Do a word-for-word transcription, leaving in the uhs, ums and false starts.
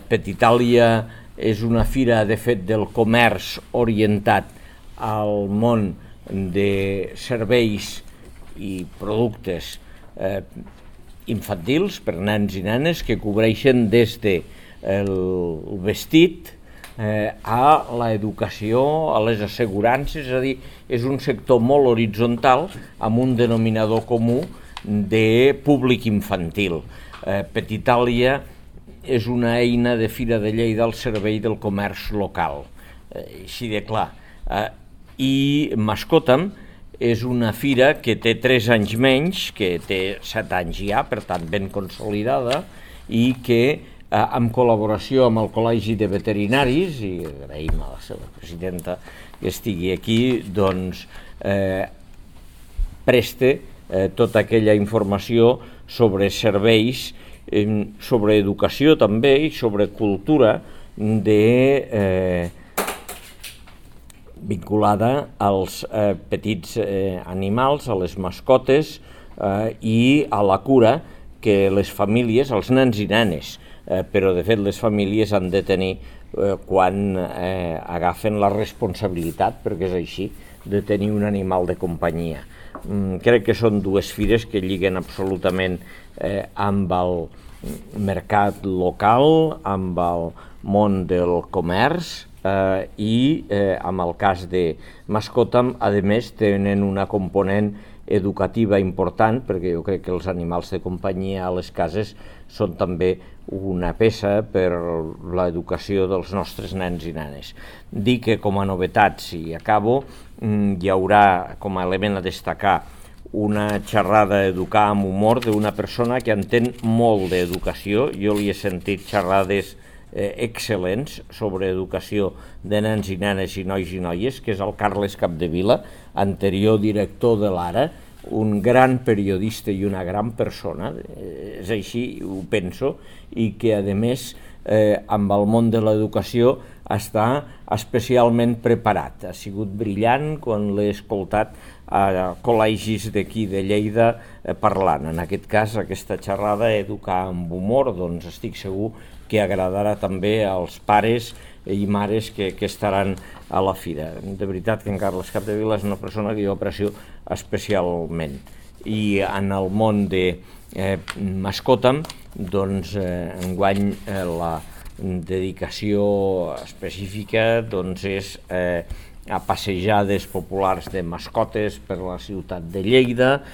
Petitàlia és una fira, de fet, del comerç orientat al món de serveis i productes eh, infantils per nens i nenes, que cobreixen des del vestit eh, a l'educació, a les assegurances, és a dir, és un sector molt horitzontal amb un denominador comú de públic infantil. Eh, Petitàlia és una eina de Fira de Lleida al servei del comerç local, eh, així de clar. Eh, I Mascota'm és una fira que té tres anys menys, que té set anys ja, per tant ben consolidada, i que eh, en col·laboració amb el Col·legi de Veterinaris, i agraïm a la seva presidenta que estigui aquí, doncs eh, preste eh, tota aquella informació sobre serveis, eh, sobre educació també i sobre cultura de eh, vinculada als eh, petits eh, animals, a les mascotes eh, i a la cura que les famílies, els nens i nenes, eh, però de fet les famílies han de tenir eh, quan eh, agafen la responsabilitat, perquè és així, de tenir un animal de companyia. Mm, crec que són dues fires que lliguen absolutament eh, amb el mercat local, amb el món del comerç, Eh, i eh, amb el cas de Mascota'm, a més, tenen una component educativa important, perquè jo crec que els animals de companyia a les cases són també una peça per l'educació dels nostres nens i nenes. Dic que com a novetats, i acabo, hi haurà com a element a destacar una xerrada Educar amb humor d'una persona que entén molt d'educació. Jo li he sentit xerrades Eh, excel·lents sobre educació de nens i nenes i nois i noies, que és el Carles Capdevila, anterior director de l'Ara, un gran periodista i una gran persona, eh, és així, ho penso, i que a més eh, amb el món de l'educació està especialment preparat. Ha sigut brillant quan l'he escoltat a col·legis d'aquí de Lleida eh, parlant. En aquest cas, aquesta xerrada Educar amb humor, doncs estic segur que agradarà també als pares i mares que, que estaran a la fira. De veritat que en Carles Capdevila és una persona que jo aprecio especialment. I en el món de eh, Mascota'm, doncs eh, enguany eh, la dedicació específica doncs, és eh, a passejades populars de mascotes per la ciutat de Lleida,